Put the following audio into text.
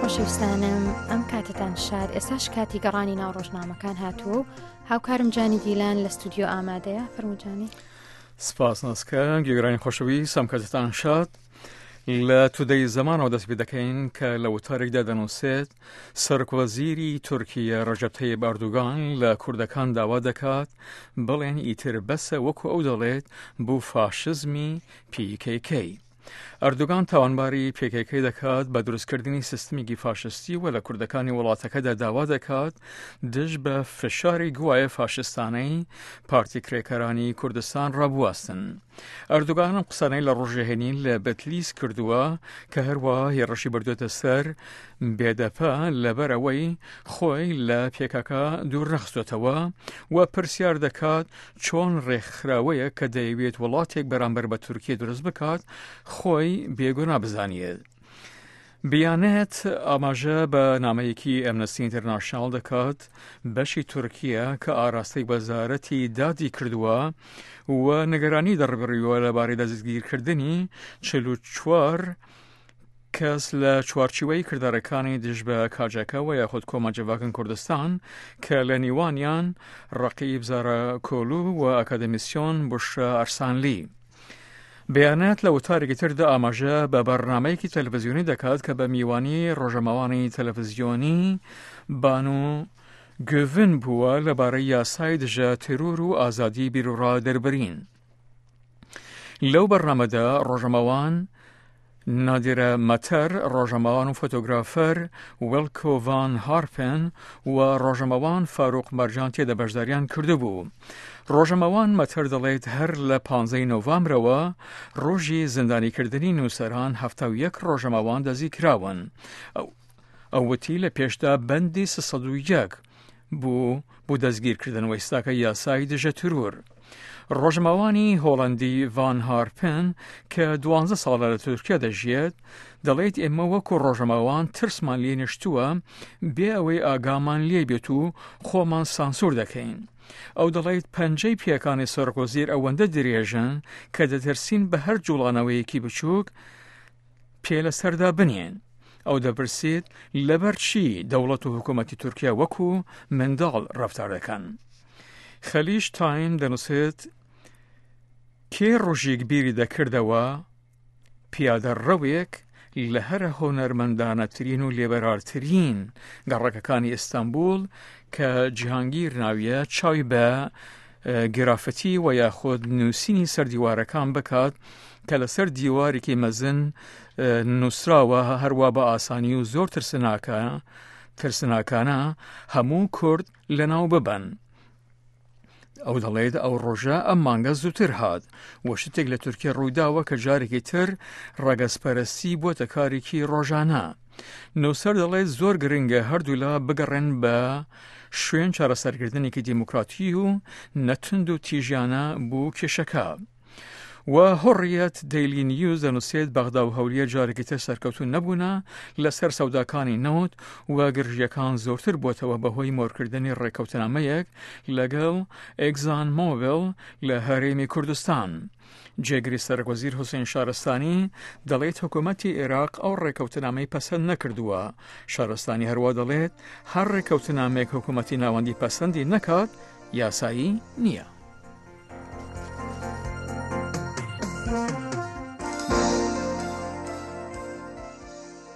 خۆشەویستانم ئەم کاتتان شاد ئێستاش کاتی گەڕانی ناو ڕۆژنامەکان هاتووە و هاوکارم جانی دیلان لە ستودیۆ ئامادەیە فەرموجانی سپاس ناسکە گوێگرانی خۆشەویست ئەم کاتتان شاد لە تودەی زەمانەوە دەست پێ دەکەین کە لە وتارێکدا دەنووسێت سەرۆکوەزیری تورکیە ڕەجەب تەیب ئەردوگان لە کوردەکان داوا دەکات بڵێن ئیتر بەسە وەکو ئەو دەڵێت بۆ فاشزمی PKK. ئەردوگان تاوانباری PKK دەکات بە دروستکردنی سیستمێکی فاشستی و لە کوردەکانی وڵاتەکەدا داوا دەکات دژ بە فشاری گوایە فاشستانەی پارتی کرێکارانی کوردستان ڕابواستن. ئەردوگان ئەم قسانەی لە ڕۆژی هەینی لە بەتلیس کردووە کە هەروەها هێڕشی بردوێتە سەر بێدەپە لەبەر ئەوەی خۆی لە پێکاکە دوور نەخستۆتەوە و پرسیار دەکات چۆن ڕێکخراوەیە کە دەیەوێت وڵاتێک بەرامبەر بە تورکیە دروست بکات خۆی بێگونا بزانیت. بیانێت ئاماژە بە نامەیەکی ئەمنستی ئینتەرناشناڵ دەکات بەشی تورکیە کە ئاراستەی وەزارەتی دادی کردووە و نگەرانی دەڕبڕیوە لەبارەی دەستگیرکردنی 44 کەس لە چوارچیوەی کردارەکانی دژ بە کاجەکە و یاخود کۆما جڤاکن کوردستان کە لە نیوانیان ڕقیب زارا کۆلو و ئەکادەمیسیۆن بشرا ئەرسانلی. بیانات لە وتارێکی تردا ئاماژە بە بەرنامەیەکی تەلەڤزیۆنی دەکات کە بە میوانی ڕۆژەمەوانی تەلەڤزیۆنی بانو گوڤن بووە لەبارەی یاسای دژە تێرۆر و ئازادی بیروڕا دەربرین. لەو بەرنامەدا ڕۆژەمەوان نادیرە مەتەر، ڕۆژەمەوان و فۆتۆگرافەر وێلکۆ ڤان هارپن و ڕۆژەمەوان فاروق مەرجان تێدا بەشداریان کردبوو. ڕۆژەمەوان مەتەر دەڵێت هەر لە پانزەی نۆڤامبرەوە ڕۆژی زیندانیکردنی نووسەران 71 ڕۆژەمەوان دەستگیرکراون. ئەو وتی لە پێشدا بەندی 301 بوو بۆ دەستگیرکردن و ئێستاکە یاسای دژە ترور. ڕۆژمەوانی هۆڵەندی ڤان هارپن کە دوانزە ساڵە لە تورکیا دەژیێت دەڵێت ئێمە وەکو ڕۆژەمەوان ترسمان لێ نیشتووە بێ ئەوەی ئاگامان لێ بێت و خۆمان سانسور دەکەین. ئەو دەڵێت پەنجەی پێکانی سەرۆکوەزیر ئەوەندە درێژن کە دەترسین بە هەر جوڵانەوەیەکی بچووک پێ لەسەردا بنێن. ئەو دەپرسێت لەبەر چی دەوڵەت و حکوومەتی تورکیا وەکو منداڵ ڕەفتار دەکەن. خەلیج تایم دەنووسێت کێ ڕۆژێک بیری دەکردەوە پیادە ڕەوێک لە هەرە هونەرمەندانەترین و لێبەرارترین گەڕەکەکانی ئیستانبول کە جیهانگیر ناویە چاوی بە گرافتی و یاخود نووسینی سەر دیوارەکان بکات کە لەسەر دیوارێکی مەزن نووسراوە هەروە بە ئاسانی و زۆر ترسناکە ترسناکانە هەموو کورد لەناو ببەن. ئەو دەڵێت ئەو ڕۆژە ئەم مانگە زووتر هات و شتێک لە تورکیا ڕوویداوە کە جارێکی تر ڕەگەزپەرستی بۆتە کارێکی ڕۆژانە. نووسەر دەڵێت زۆر گرنگە هەردوولا بگەڕێن بە شوێن چارەسەرکردنێکی دیموکراتی و نەتوند و تیژیانە بۆ کێشەکە. و هوڕیەت دەیلی نیوز دەنووسێت بەغدا و هەولێر جارێکی تر سەرکەوتوو نەبوونە لەسەر سەوداکانی نەوت و گرژیەکان زۆرتر بۆتەوە بەهۆی مۆرکردنی ڕێککەوتنامەیەک لەگەڵ ئێگزان مۆبل لە هەرێمی کوردستان. جێگری سەرۆکوەزیر حوسێن شارستانی دەڵێت حکوومەتی عێراق ئەو ڕێککەوتنامەی پەسەند نەکردووە. شارستانی هەروە دەڵێت هەر ڕێککەوتنامەیەک حکوومەتی ناوەندی پەسەندی نەکات یاسایی نییە.